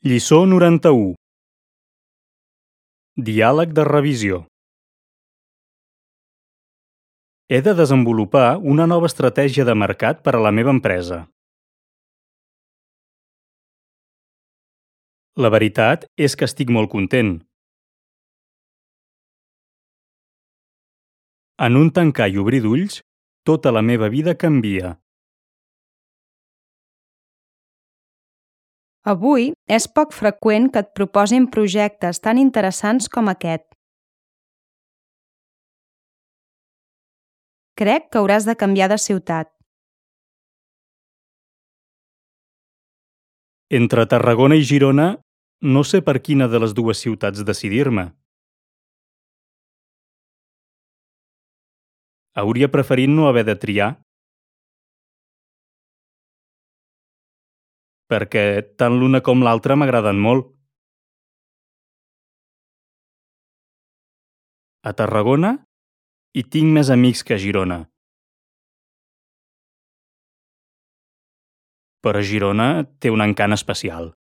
Lliçó 91. Diàleg de revisió. He de desenvolupar una nova estratègia de mercat per a la meva empresa. La veritat és que estic molt content. En un tancar i obrir d'ulls, tota la meva vida canvia. Avui és poc freqüent que et proposin projectes tan interessants com aquest. Crec que hauràs de canviar de ciutat. Entre Tarragona i Girona, no sé per quina de les dues ciutats decidir-me. Hauria preferit no haver de triar, perquè tant l'una com l'altra m'agraden molt. A Tarragona hi tinc més amics que a Girona. Però Girona té un encant especial.